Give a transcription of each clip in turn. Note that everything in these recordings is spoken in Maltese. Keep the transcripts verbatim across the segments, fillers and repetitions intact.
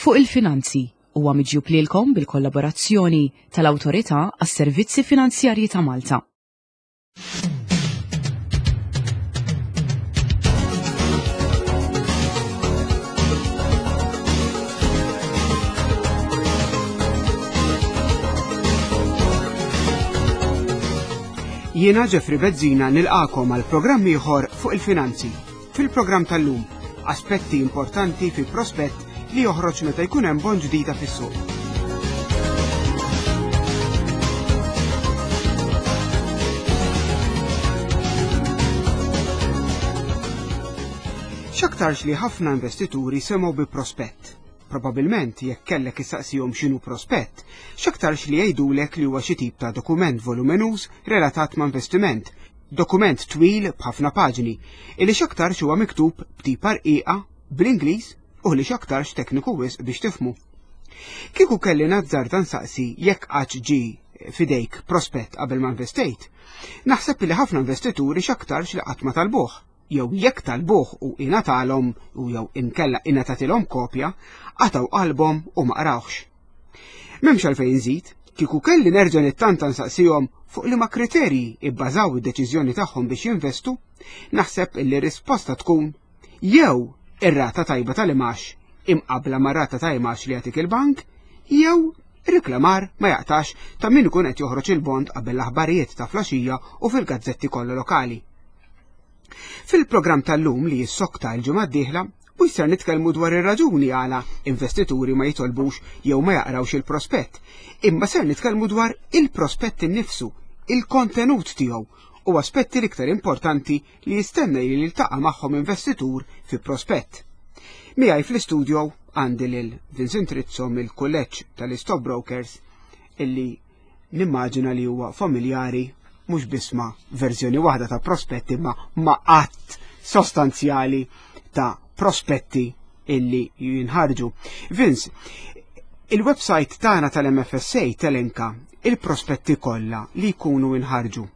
Fuq il-Finanzi huwa miġjub lilkom bil-kollaborazzjoni tal-Awtorità għas-Servizzi Finanzjarji ta' Malta. Jiena Jeffrey Bezzina nilqakom għal programm ieħor fuq il-finanzi. Fil-programm tal-lum, aspetti importanti fi prospett li joħroġ meta jkun hemm bond ġdida fis-suq. X'aktarx li ħafna investituri semgħu bi prospett. Probabilment jekk kellek issaqsihom x'inhu prospett, x'aktarx li jgħidulek li huwa xi tip ta' dokument volumenuż relatat ma' investiment, dokument twil b'ħafna paġni, illi x'aktarx huwa miktub b'tipa rqiqa bl-Ingliż u li x'aktarx tekniku wisq biex tifhmu. Kieku kelli nazzarda nsaqsi jekk qatt ġie f'idejk prospett qabel ma investejt, naħseb li ħafna investituri x'aktarx li qatt ma talbuh, jew jekk talbuh u ingħatalhom u jew inkella ingħatatilhom kopja, qatgħu qalbhom u ma qrawhx. M'hemmx għalfejn nżid, kieku kelli nerġa' nittanta nsaqsihom fuq liema kriterji ibbażaw id-deċiżjoni tagħhom biex jinvestu, naħseb illi risposta tkun jew ir-rata tajba tal-imax imqabla ma' rata ta' imax li jagħtik il-bank, jew riklamar ma jaqtax ta' min ikun qed joħroġ il-bond qabel l-aħbarijiet ta' flaxija u fil-gazzetti kollha lokali. Fil-programm tal-lum li jissokta l-ġimgħa d-dieħla, u jisser nitkellmu dwar ir-raġuni għala investituri ma jitolbux jew ma jaqrawx il-prospett, imma ser nitkellmu dwar il-prospett innifsu, il-kontenut tiegħu u aspetti l-iktar importanti li jistenna li jiltaqa' magħhom investitur fi prospett. Miegħi fl-istudio għandi lil Vincent Rizzo mill-Kulleġġ tal-Stockbrokers illi nimmaġina li huwa familjari mhux biss ma' verżjoni waħda ta' prospetti ma' ma' għadd sostanzjali ta' prospetti illi jinħarġu. Vince, il-website tagħna tal-M F S A telenka il-prospetti kollha li jkunu inħarġu.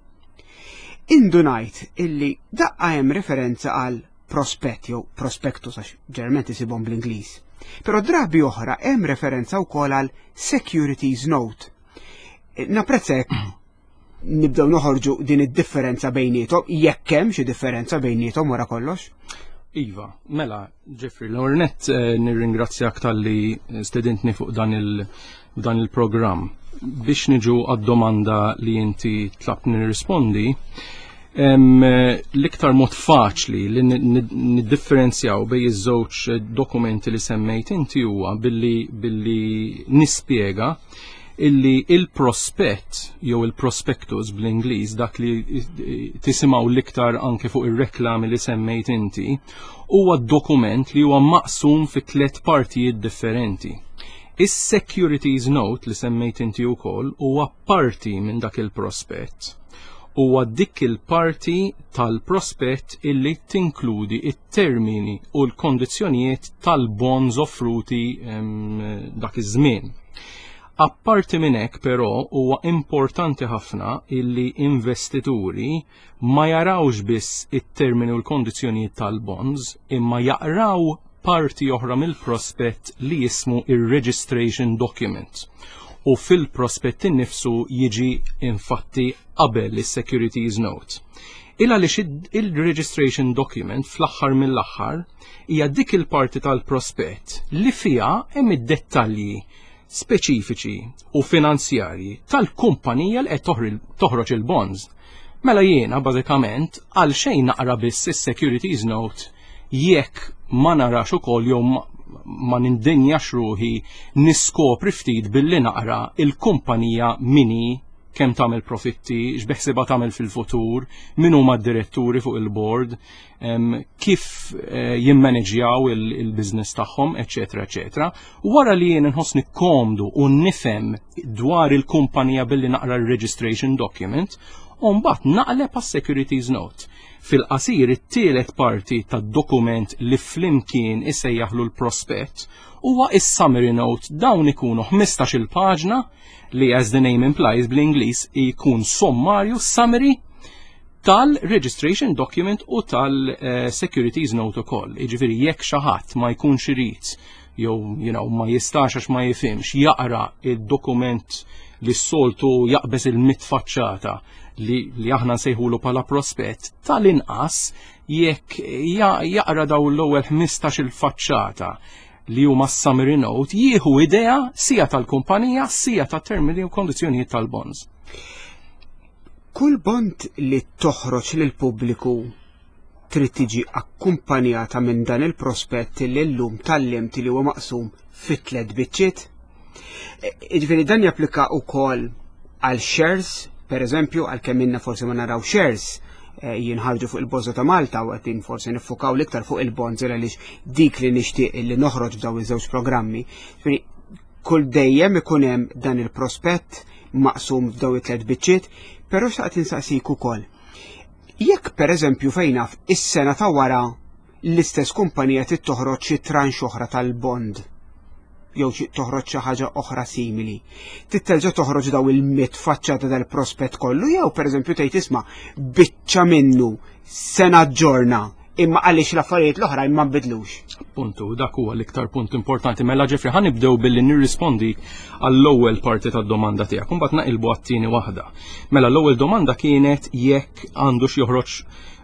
Indunajt illi daqqa hemm referenza għal prospett jew prospectus għax ġeneralment isibhom bl-Ingliż. Però drabi oħra hemm referenza wkoll għal securities note. Napprezza jekk nibdew noħorġu din id-differenza bejniethom, jekk hemm xi differenza bejniethom wara kollox. Iva, mela, Jeffrey, l-ewwel nett eh, nirringrazzjak talli stedintni fuq dan il dan il-programm. Biex niġu għad-domanda li inti tlabtni nirrispondi, em, l-iktar mod faċli li niddifferenzjaw bejn iż-żewġ dokumenti li semmejt inti huwa billi billi nispjega illi il-prospett jew il-prospectus bl-Ingliż, dak li tisimgħu l-iktar anke fuq ir-reklami li semmejt inti, huwa dokument li huwa maqsum fi tliet partijiet differenti. Is-securities note li semmejt inti wkoll huwa parti minn dak il-prospett. Huwa dik il-parti tal-prospett illi tinkludi it-termini u l-kondizzjonijiet tal-bonds offruti dak iż-żmien. Apparti minn hekk, però, huwa importanti ħafna illi investituri ma jarawx biss it-termini u l-kondizzjonijiet tal-bonds, imma jaqraw parti oħra mill-prospett li jismu ir-registration document. U fil-prospett innifsu jiġi infatti qabel is-securities note. Il għaliex il-registration document fl-aħħar mill-aħħar hija dik il-parti tal-prospett li fiha hemm id-dettalji speċifiċi u finanzjarji tal-kumpanija li qed toħroġ il-bonds. Mela jiena bażikament għal xejn naqra biss is-securities note jekk ma narax ukoll jew ma nindinjax ruħi niskopri ftit billi naqra il-kumpanija min hi, kemm tagħmel profitti, x'beħsiebha tagħmel fil-futur, min huma d-diretturi fuq il-board, kif eh, jimmaneġjaw il-business tagħhom, eċetera, eċetera. Wara li jien inħossni komdu u nifhem dwar il-kumpanija billi naqra l-registration document, u mbagħad naqleb għas-securities note. Fil-qasir, it-tielet parti tad-dokument li flimkien isejjaħlu l-prospett huwa is-summary note. Dawn ikunu ħmistax-il paġna li, as the name implies bl-Ingliż, ikun sommarju, summary tal-registration document u tal-securities note ukoll. Jiġifieri jekk xi ħadd ma jkunx irid jew you know, ma jistax għax ma jifhimx jaqra id-dokument li s-soltu jaqbeż il-mitt faċċata li, li aħna nsejħulu bħala prospett, tal-inqas jekk jaqra daw l-ewwel ħmistax il-faċċata li huma summary note, jieħu idea sija tal-kumpanija, sija ta' termini u kondizzjonijiet tal-bonds. Kull bond li toħroġ lil pubbliku trid tiġi akkumpanjata minn dan il-prospett li llum tgħallimt li huwa maqsum fit tliet biċċiet. Jiġifieri dan japplika wkoll għal shares, per eżempju, għal kemm inna forsi ma naraw shares eh, jinħarġu fuq il-Borża ta' Malta u qegħdin forsi niffukaw l-iktar fuq il-bonds għaliex dik li nixtieq li noħroġ f'daw iż-żewġ programmi. Jiġifieri kull dejjem ikun hemm dan il-prospett maqsum f'daw it-tliet biċċiet, però xtaqt insaqsik ukoll. Jekk per eżempju fejn naf is-sena ta' wara l-istess kumpanija trid toħroġ xi tranche oħra tal-bond jew xi toħroġ xi ħaġa oħra simili. Trid terġa' toħroġ daw il-mitt faċċata dal-prospett kollu jew pereżempju tgħid, "Isma', biċċa minnu sena ġorna imma għaliex l-affarijiet l-oħra ma nbidlux." Puntu, dak huwa l-iktar punt importanti. Mela Jeffrey, ħa nibdew billi nirrispondi għall-ewwel parti tad-domanda tiegħek, imbagħad naqilbu għat-tieni waħda. Mela l-ewwel domanda kienet jekk għandux joħroġ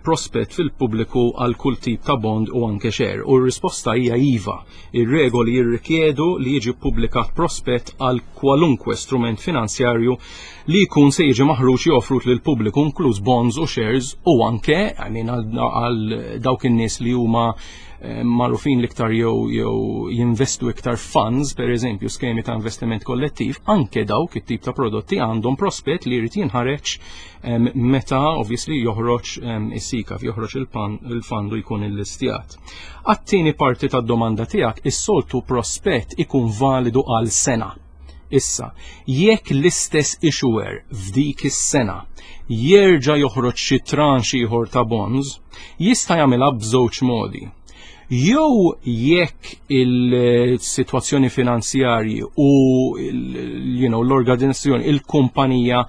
prospett fil-pubbliku għal kull tip ta' bond u anke share. U r-risposta hija iva. Ir-regoli jirrikjedu li jiġi ppubblikat prospett għal kwalunkwe strument finanzjarju li jkun se jiġi maħruġ jew offrut lil pubbliku, inkluż bonds u shares u anke, I mean, għal dawk in-nies li huma eh, magħrufin l-iktar jew jew jinvestu iktar funds, per eżempju, skemi ta' investiment kollettiv, anke dawk it-tip ta' prodotti għandhom prospett li jrid jinħareġ meta obviously joħroġ is-SICAV, joħroġ il-fund u jkun illistjat. Għat-tieni parti tad-domanda tiegħek, is-soltu prospett ikun validu għal sena. Issa, jekk l-istess issuer f'dik is-sena jerġa' joħroġ xi tranche ieħor ta' bonds, jista' jagħmilha b'żewġ modi. Jew jekk il-sitwazzjoni finanzjarji u you know, l-organizzazzjoni, il-kumpanija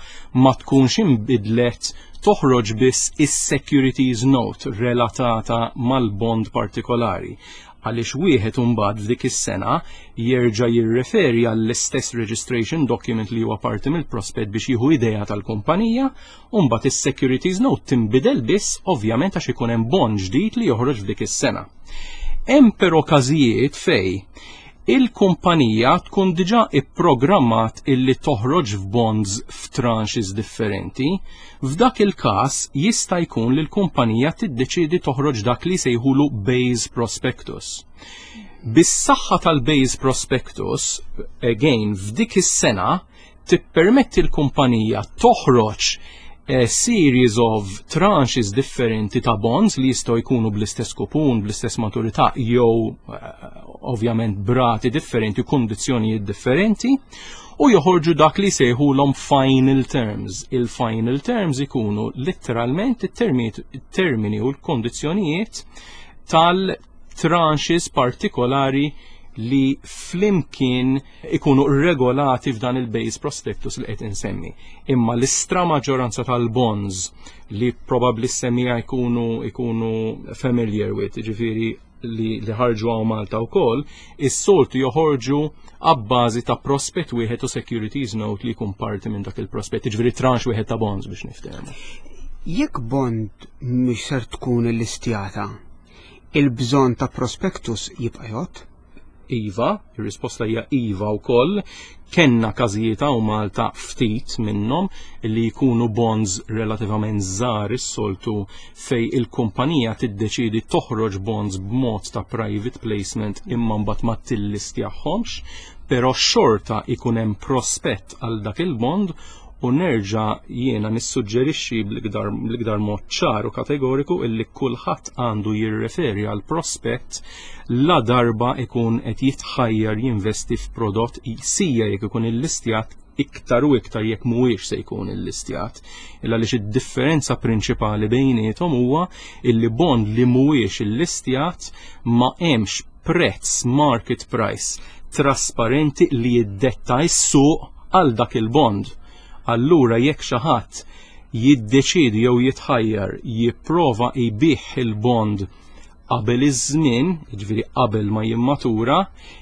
ma tkunx inbidlet, toħroġ biss is-securities note relatata mal-bond partikolari, għaliex wieħed imbagħad f'dik is-sena jerġa' jirreferi għall-istess registration document li huwa parti mill-prospett biex jieħu idea tal-kumpanija, u mbagħad is-securities note tinbidel biss ovvjament għax ikun hemm bond ġdid li joħroġ f'dik is-sena. Hemm però każijiet fej il-kumpanija tkun diġà ipprogrammat illi toħroġ f'bonds f'tranches differenti. F'dak il-każ jista' jkun li l-kumpanija tiddeċiedi toħroġ dak li sejħulu base prospectus. Bis-saħħa tal-base prospectus, again, f'dik is-sena tippermetti l-kumpanija toħroġ a series of tranches differenti ta' bonds li jistgħu jkunu bl-istess kupun, bl-istess maturità jew eh, ovvjament b'rati differenti u kondizzjonijiet differenti, u joħorġu dak li sejħulhom final terms. Il-final terms ikunu letteralment it-termini u l-kondizzjonijiet tal-tranches partikolari li flimkien ikunu regolati f'dan il-base prospectus li qed insemmi. Imma l-istra maġġoranza tal-bonds li probabbli s-semmiegħa jkunu ikunu familiar with, ġifieri li, li ħarġu hawn Malta wkoll, is-soltu joħorġu abbażi ta' prospett wieħed u securities note li jkun parti minn dak il-prospett, ġifieri tranche wieħed ta' bonds biex niftehmu. Jekk bond mhux ser tkun illistjata, il-bżonn ta' prospectus jibqa' jgħodd? Iva, ir-risposta hija iva wkoll. Kenna każijiet hawn Malta, ftit minnhom, li jkunu bonds relativament żgħar is-soltu, fej il-kumpanija tiddeċidi toħroġ bonds b'mod ta' private placement imma mbagħad ma tillistjahomx, però xorta ikun hemm prospett għal dak il-bond. U nerġa' jiena nissuġġerixxi bl-iktar mod ċar u kategoriku illi kulħadd għandu jirreferi għal prospett la darba ikun qed jitħajjar jinvesti f'prodott, sija jekk ikun illistjat, iktar u iktar jekk mhuwiex se jkun illistjat. Illa għaliex id-differenza prinċipali bejniethom huwa illi bond li mhuwiex illistjat ma hemmx prezz, market price trasparenti li jiddetta s-suq għal dak il-bond. Allura jekk xi ħadd jiddeċidi jew jitħajjar jipprova jbigħ il-bond qabel iż-żmien, jiġifieri qabel ma jimmatura,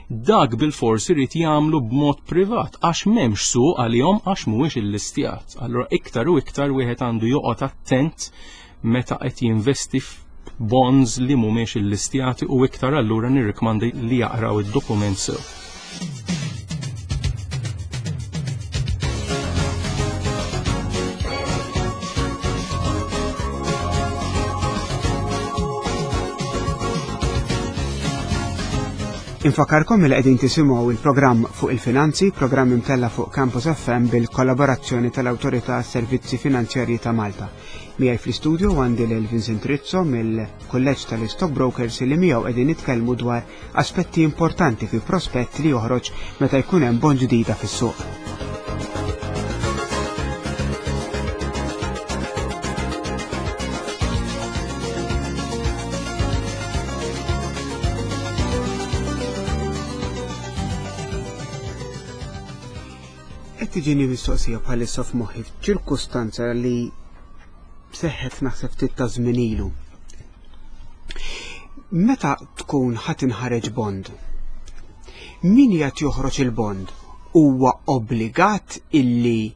dak bilfors irid jagħmlu b'mod privat għax m'hemmx suq għalihom għax mhuwiex illistjat. Allura iktar u iktar wieħed għandu joqgħod attent meta qed jinvesti f'bonds li mhumiex illistjati u iktar allura nirrikmandi li jaqraw id-dokument sew. Infakarkom li qegħdin tisimgħu il-programm fuq il-finanzi, programm imtella fuq Campus F M bil-kollaborazzjoni tal-Awtorità Servizzi Finanzjarji ta' Malta. Miegħi fl-istudio għandi lil Vincent Rizzo mill-Kulleġġ tal-Stockbrokers li miegħu qegħdin nitkellmu dwar aspetti importanti fi prospett li joħroġ meta jkun hemm bond ġdida fis-suq. Tiġini mistoqsija bħalissa f'moħħi f'ċirkustanza li seħħet naħseb ftit ta' żmien ilu. Meta tkun ħa tinħareġ bond, min qed joħroġ il-bond huwa obbligat illi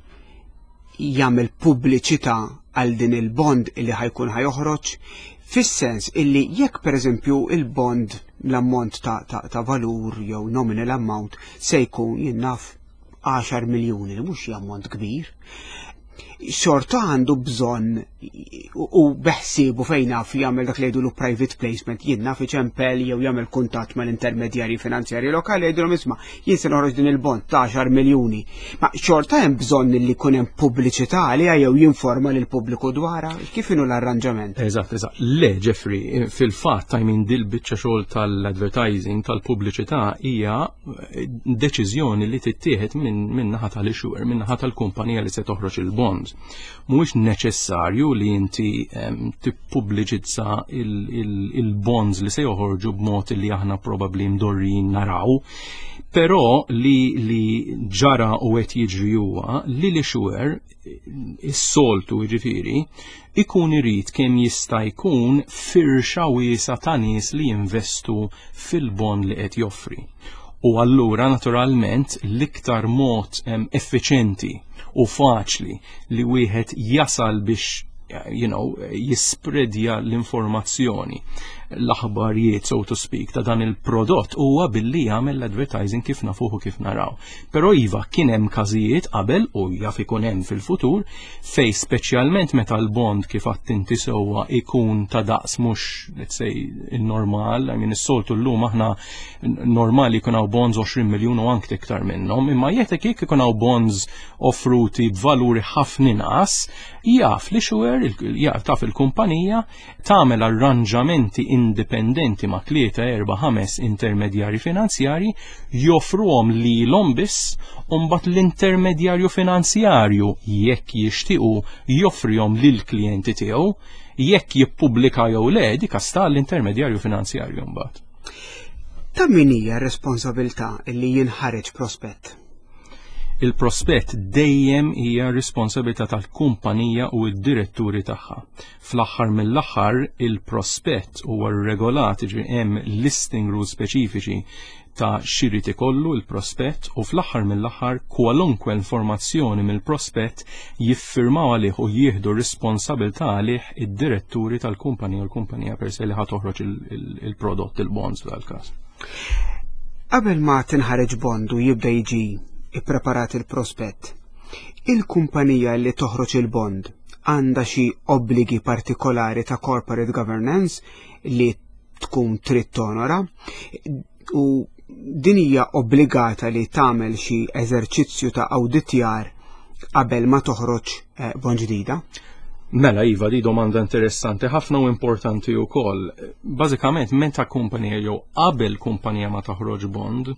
jagħmel pubbliċità għal din il-bond illi ħajkun ħajoħroġ, fis-sens illi jekk pereżempju il-bond l-ammont ta', ta, ta' valur jew nominal amount se jkun jien naf għaxar miljuni, li mhux ammont kbir, xorta għandu bżonn u beħsiebu fejn naf jagħmel dak li jgħidulu private placement, jien naf iċempel jew jagħmel kuntatt mal-intermedjarji finanzjarji lokali jgħidulhom isma' jien se noħroġ din il-bond ta' għaxar miljuni. Ma xorta hemm bżonn li jkun hemm pubbliċità għaliha jew jinforma lil pubbliku dwarha, kif inhu l-arranġament? Eżatt, eżatt. Le, Jeffrey, fil-fatt I mean dil biċċa xogħol tal-advertising, tal-pubbliċità hija deċiżjoni li tittieħed minn min naħa tal-issuer, minn naħa tal-kumpanija li se toħroġ il-bond. Mhuwiex neċessarju li inti um, tippubbliċizza il-bonds li se joħorġu b'mod li aħna probabbli mdorrijin naraw, però li, li ġara u qed jiġri huwa li l-issuer is-soltu jiġifieri ikun irid kemm jista' jkun firxa wiesa' ta' nies li jinvestu fil-bond li qed joffri. U allura naturalment l-iktar mod um, effiċenti u faċli li wieħed jasal biex you know, jispredja l-informazzjoni, l-aħbarijiet, so to speak, ta' dan il-prodott huwa billi jagħmel l-advertising kif nafuhu kif naraw. Però iva kien hemm każijiet qabel u jaf ikun hemm fil-futur fej speċjalment meta l-bond kif għadt inti sewwa ikun ta' daqs mhux let's say il-normal, I mean is-soltu llum aħna normali jkun hawn bonds għoxrin miljun u anke iktar minnhom, imma jekk jekk ikun hawn bonds offruti b'valuri ħafna inqas, jaf li xwer, jaf taf il-kumpanija tagħmel arranġamenti indipendenti ma' tlieta, erba', ħames intermedjari finanzjari, joffruhom lilhom biss, u mbagħad l-intermedjarju finanzjarju jekk jixtiequ joffrihom lill-klijenti tiegħu, jekk jippubblika jew le, dik sta l-intermedjarju finanzjarju mbagħad. Ta' min hija r-responsabilità li jinħareġ prospett? Il-prospett dejjem hija responsabilità tal-kumpanija u d-diretturi tagħha. Fl-aħħar mill-aħħar il-prospett huwa regolat, jiġifieri hemm listing rules speċifiċi ta' x'irid ikollu il-prospett u fl-aħħar mill-aħħar kwalunkwe informazzjoni mill-prospett jiffirmaw għalih u jieħdu responsabilità għalih id-diretturi tal-kumpanija u l-kumpanija per se li ħa toħroġ il-prodott, il-bonds f'dal-każ. Qabel ma tinħareġ bond u jibda jiġi ippreparat il-prospett, il-kumpanija li toħroġ il-bond għandha xi obbligi partikolari ta' corporate governance li tkun trid tonora u din hija obbligata li tagħmel xi eżerċizzju ta' awditjar qabel ma toħroġ, eh, bond ġdida? Mela iva, di domanda interessanti ħafna u importanti wkoll. Bażikament meta kumpanija jew qabel kumpanija ma toħroġ bond,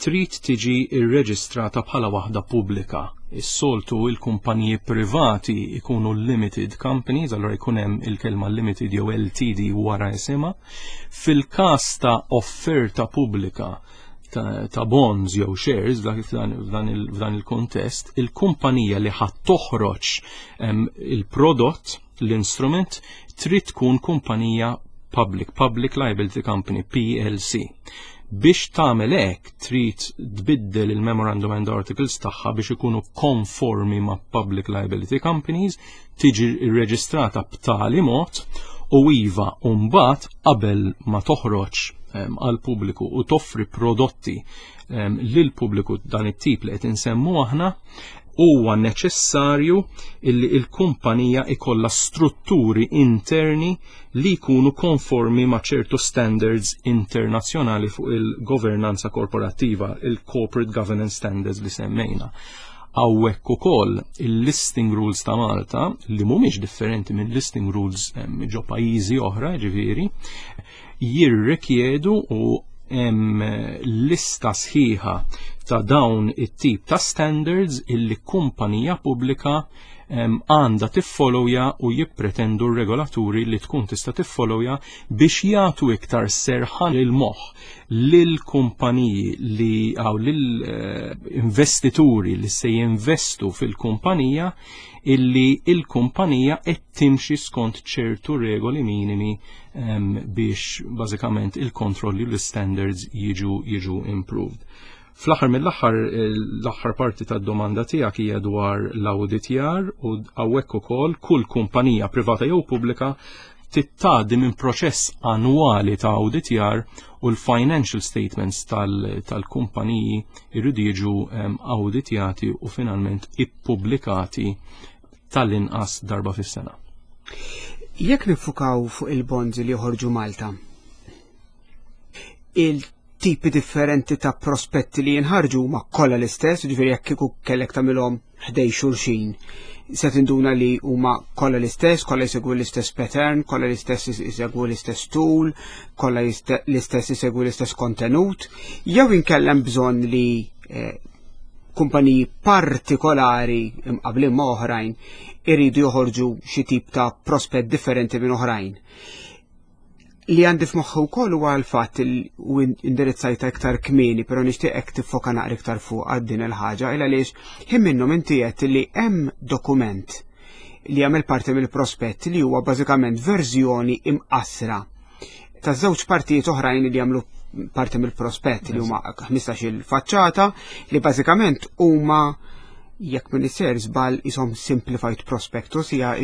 trid tiġi rreġistrata bħala waħda pubblika. Is-soltu il-kumpaniji privati ikunu limited companies, allura jkun hemm il-kelma limited jew L T D wara isimha. Fil-każ ta' offerta pubblika ta', ta' bonds jew shares f'dan, f'dan il-, f'dan il-kontest, il-kumpanija li ħadd toħroġ, em, il-prodott, l-instrument, trid tkun kumpanija Public, Public Liability Company, P L C. Biex tagħmel hekk trid tbiddel il-Memorandum and Articles tagħha biex ikunu konformi ma' Public Liability Companies, tiġi rreġistrata b'tali mod u iva mbagħad qabel ma toħroġ għal pubbliku u toffri prodotti lil pubbliku dan it-tip li qed insemmu aħna, huwa neċessarju illi il-kumpanija ikolla strutturi interni li jkunu konformi ma' ċertu standards internazzjonali fuq il-governanza korporattiva, il-Corporate Governance Standards li semmejna. Hawnhekk ukoll il-listing rules ta' Malta, li mhumiex differenti minn listing rules ġo pajjiżi oħra, ġifieri, jirrikjedu u hemm lista sħiħa ta' dawn it-tip ta' standards illi kumpanija pubblika għandha tiffollowja u jippretendu r-regolaturi li tkun tista' tiffollowja biex jagħtu iktar serħan il-moħħ lil kumpaniji li għaw lil eh, investituri li se jinvestu fil-kumpanija illi il-kumpanija qed timxi skont ċertu regoli minimi um, biex bażikament il-kontrolli u l-standards jiġu jiġu improved. Fl-aħħar mill-aħħar, l-aħħar parti tad-domanda tiegħek hija dwar l-awditjar u hawnhekk ukoll kull kumpanija privata jew pubblika tgħaddi minn proċess annwali ta' awditjar u l-financial statements tal-kumpaniji irridu jiġu awditjati u finalment ippubblikati tal-inqas darba fis-sena. Jekk nifukaw fuq il-bonds li joħorġu Malta, il-tipi differenti ta' prospetti li jinħarġu ma kollha l-istess, ġifieri jekk kieku kellek tagħmilhom ħdejn xulxin, se tinduna li huma kollha l-istess, kollha jsegwu l-istess pattern, kollha l-istess jsegwu l-istess tool, kollha l-istess jsegwu l-istess kontenut, jew inkellem bżonn li eh, kumpaniji partikolari imqablin ma' oħrajn iridu joħorġu xi tip ta' prospett differenti minn oħrajn? Li għandi f'moħħu wkoll huwa l-fatt u indirizzajta iktar kmieni, però nixtieqek tiffoka naqra iktar fuq għad din il-ħaġa, il għaliex ħin minnhom inti qed li hemm dokument li jagħmel parti mill-prospett li huwa bażikament verżjoni imqasra ta' żewġ partijiet oħrajn li jagħmlu parti mill-prospett, li huma ħmistax il-faċċata, li bażikament huma, jekk m'iniex sejjer żball, isimhom Simplified Prospectus, hija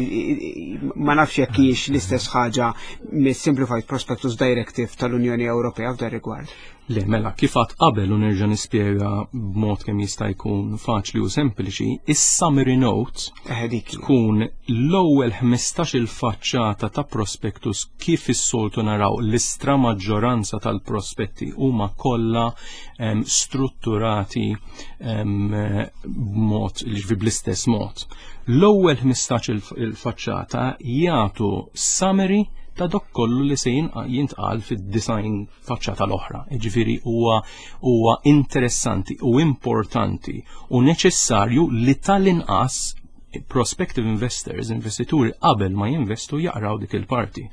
ma nafx jekk hijiex l-istess ħaġa mis-Simplified Prospectus Directive tal-Unjoni Ewropea f'dan rigward. Le, mela, kif għedt qabel u nerġa' nispjega b'mod kemm jista' jkun faċli u sempliċi, is-summary note Eh, dik. tkun l-ewwel ħmistax il-faċċata ta' prospectus. Kif is-soltu naraw, l-istra maġġoranza tal-prospetti huma kollha em, strutturati em, b'mod li bl-istess mod. L-ewwel ħmistax il-faċċata jagħtu summary ta' dak kollu li se jintqal fid-disgħin faċċata l-oħra. Ġifieri huwa huwa interessanti u importanti u neċessarju li tal-inqas prospective investors, investituri, qabel ma jinvestu jaqraw dik il-parti.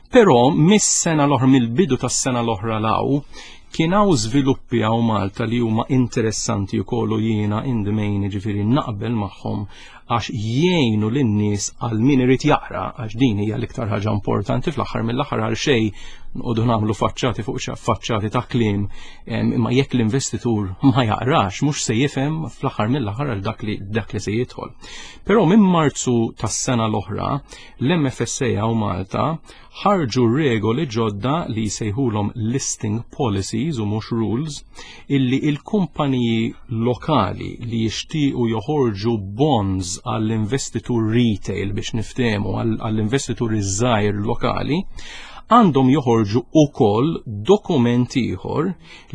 Però mis-sena l-oħra, mill-bidu tas-sena l-oħra 'l hawn, kien hawn żviluppi hawn Malta li huma interessanti wkoll u jiena in the main, ġifieri, naqbel magħhom għax jgħinu lin-nies, għal min irid jaqra, għax din hija l-iktar ħaġa importanti fl-aħħar mill-aħħar. Għal xejn noqogħdu nagħmlu faċċati fuq faċċati ta' kliem imma jekk l-investitur ma jaqrax, mhux se jifhem fl-aħħar mill-aħħar għal dak li dak li se jidħol. Però minn Marzu tas-sena l-oħra l-M F S A hawn Malta ħarġu regoli ġodda li jsejħulhom listing policies u mhux rules, illi il-kumpaniji lokali li jixtiequ joħorġu bonds għall-investitur retail, biex niftehmu, għall-investitur iż-żgħir lokali, għandhom joħorġu ukoll dokument ieħor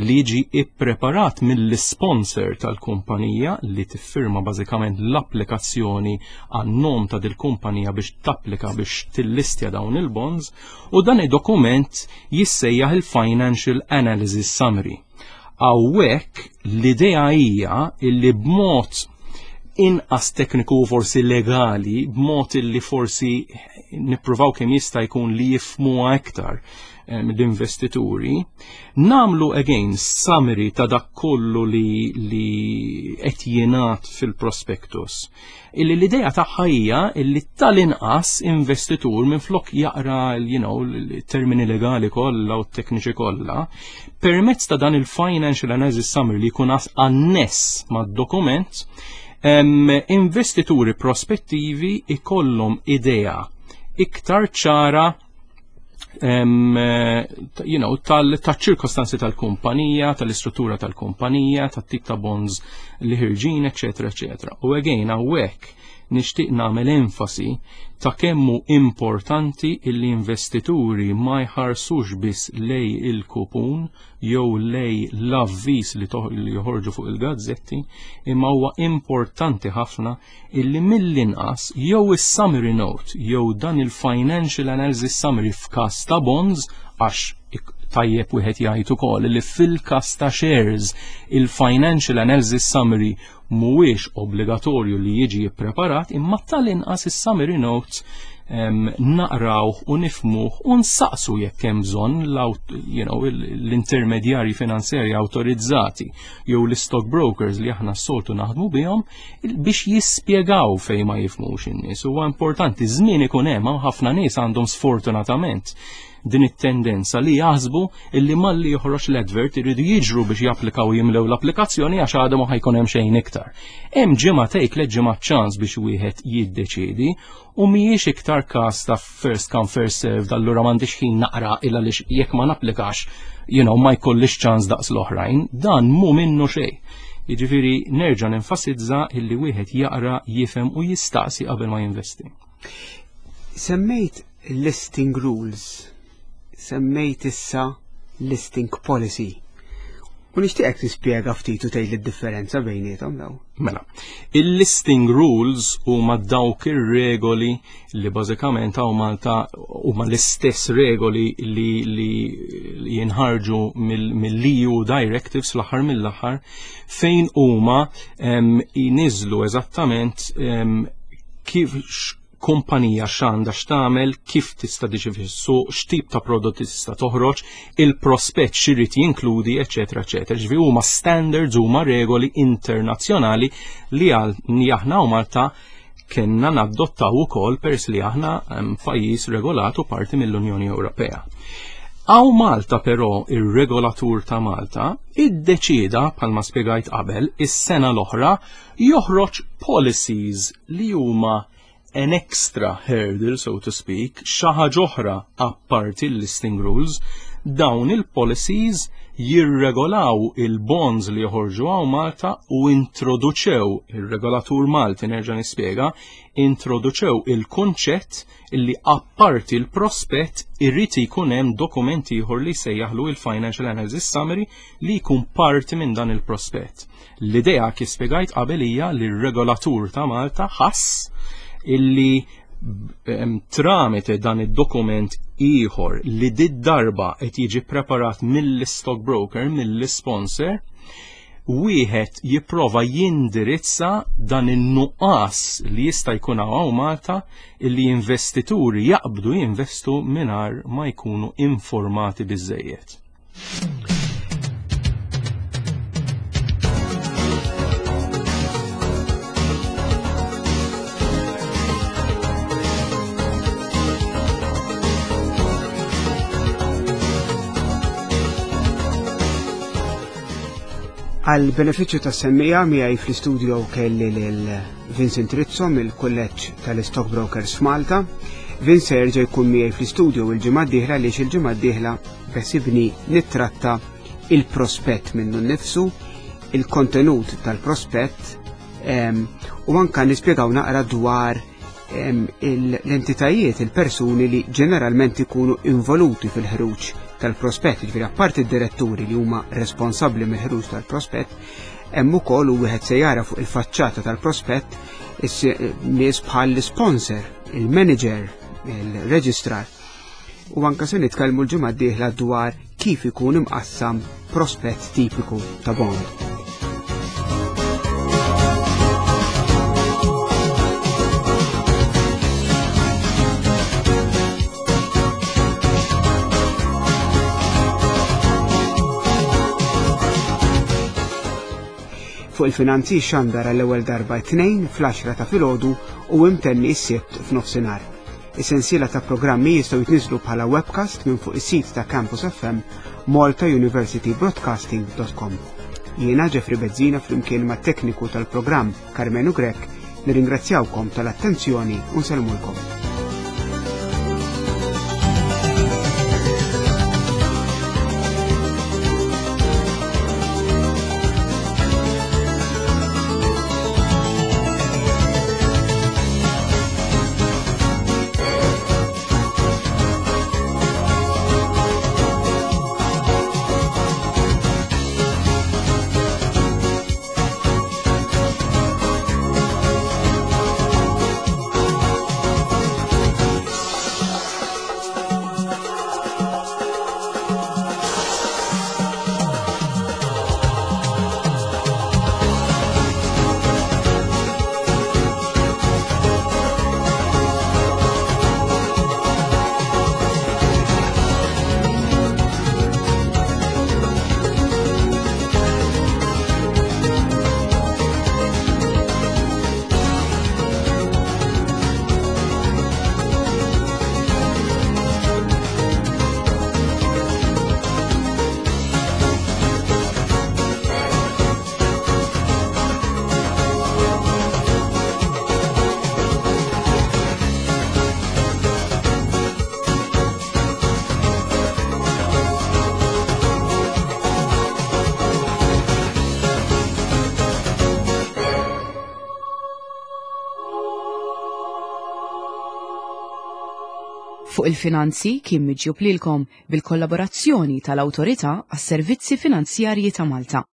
li jiġi ippreparat mill-sponsor tal-kumpanija li tiffirma bażikament l-applikazzjoni għan-nom ta' dil-kumpanija biex tapplika biex tillistja dawn il-bonds, u dan id-dokument jissejjaħ il-Financial Analysis Summary. Hawnhekk l-idea hija illi b'mod inqas tekniku u forsi legali, b'mod illi forsi nippruvaw kemm jista' jkun li jifhmuha iktar l-investituri, nagħmlu again summary ta' dak kollu li li qed jingħad fil-prospectus. Illi l-idea tagħha hija illi tal-inqas investitur minflok jaqra, you know, l-termini legali kollha u t-tekniċi kollha, permezz ta' dan il-financial analysis summary li jkun anness mad-dokument, investituri prospettivi ikollhom idea iktar ċara um, you know, tal-ċirkostanzi tal-kumpanija, tal-istruttura tal-kumpanija, tat-tip ta' bonds li ħirġin, eccetera, eccetera. U again, hawnhekk nixtieq nagħmel enfasi ta' kemm hu importanti illi investituri ma jħarsux biss lejn il-kupun jew lejn l-avviż li, li joħorġu fuq il-gazzetti, imma huwa importanti ħafna illi mill-inqas jew is-summary note jew dan il-financial analysis summary f'każ ta' bonds, għax tajjeb wieħed jgħid ukoll li fil-każ ta' shares il-financial analysis summary mhuwiex obbligatorju li jiġi ppreparat, imma tal-inqas is-summary notes um, naqraw u nifhmuh u nsaqsu jekk hemm bżonn you know, l-intermedjarji finanzjarji awtorizzati jew l-stock brokers li aħna s-soltu naħdmu bihom biex jispjegaw fejn ma jifhmux in-nies. Huwa importanti, żmien ikun hemm, ħafna nies għandhom sfortunatament din it-tendenza li jaħsbu illi malli joħroġ l-advert iridu jiġru biex japplikaw, jimlew l-applikazzjoni, għax għadha ma ħa jkun hemm xejn iktar. Hemm ġimgħatejn, tliet ġimgħat ċans biex wieħed jiddeċiedi u mhijiex iktar każ ta' first come first serve, allura m'għandix ħin naqra illa li jekk ma napplikax, you know, ma jkollix ċans daqs l-oħrajn, dan mhu minnu xejn. Jiġifieri nerġa' nenfasizza illi wieħed jaqra, jifhem u jistaqsi qabel ma jinvesti. Semmejt listing rules, semmejt issa listing policy. U nixtieqek tispjega ftit u tgħid id-differenza bejniethom daw. Mela, il-listing rules huma dawk ir-regoli li bażikament hawn Malta huma l-istess regoli li, li jinħarġu mill-E U directives fl-aħħar mill-aħħar, fejn huma jniżlu eżattament kif kumpanija x'għandha x'tagħmel, kif tista' tiġi fis-suq, x'tip ta' prodotti tista' toħroġ, il-prospett x'irid jinkludi, eċetera, eċetera. Ġifieri huma standards, huma regoli internazzjonali li aħna u Malta kellna nadottaw ukoll peress li aħna pajjiż regolat u parti mill-Unjoni Ewropea. Hawn Malta però ir-regolatur ta' Malta iddeċida, bħalma spjegajt qabel, is-sena l-oħra joħroġ policies li huma an extra hurdle, so to speak, xi ħaġa oħra apparti l-listing rules. Dawn il-policies jirregolaw il-bonds li joħorġu hawn Malta u introduċew, il-regolatur Malti, nerġa' nispjega, introduċew il-kunċett illi apparti il-prospett irrid ikun hemm dokumenti ieħor li sejjaħlu il-Financial Analysis Summary li jkun parti minn dan il-prospett. L-idea, kif spjegajt qabel, hija li r-regolatur ta' Malta ħass illi tramite dan id-dokument ieħor li did-darba qed jiġi preparat mill-stock broker, mill-sponsor, wieħed jipprova jindirizza dan in-nuqqas li jista' jkun hawn Malta illi investituri jaqbdu jinvestu mingħajr ma jkunu informati biżejjed. Għal benefiċċju tas-semmiegħa, miegħi fl-istudio kelli lil Vincent Rizzo mill-Kulleġġ tal-Stockbrokers f'Malta. Vincent jerġa' jkun miegħi fl-istudio il-ġimgħa d-dieħla, għaliex il-ġimgħa d-dieħla beħsiebni nittratta il-prospett minnu nnifsu, il-kontenut tal-prospett u anka nispjegaw naqra dwar l-entitajiet, il-persuni li ġeneralment ikunu involuti fil-ħruġ tal-prospett, ġifieri apparti d-diretturi li huma responsabbli mill-ħruġ tal-prospett, hemm ukoll, u wieħed se jara fuq il-faċċata tal-prospett, nies bħal l-sponsor, il-manager, il-registrar. U anka se nitkellmu l-ġimgħa d-dieħla dwar kif ikun imqassam prospett tipiku ta' bond. Fuq il-Finanzi xandar għall-ewwel darba t-Tnejn fl-għaxra ta' filgħodu u imtenni s-Sibt f'nofsinhar. Is-sensiela ta' programmi jistgħu jitniżlu bħala webcast minn fuq is-sit ta' Campus F M malta university broadcasting dot com. Jiena Jeffrey Bezzina, flimkien mat tekniku tal-programm Carmenu Grech, nirringrazzjawkom tal-attenzjoni u nsellmulkom. Fuq il-Finanzi kien miġjub lilkom bil-kollaborazzjoni tal-Awtorità għas-Servizzi Finanzjarji ta' Malta.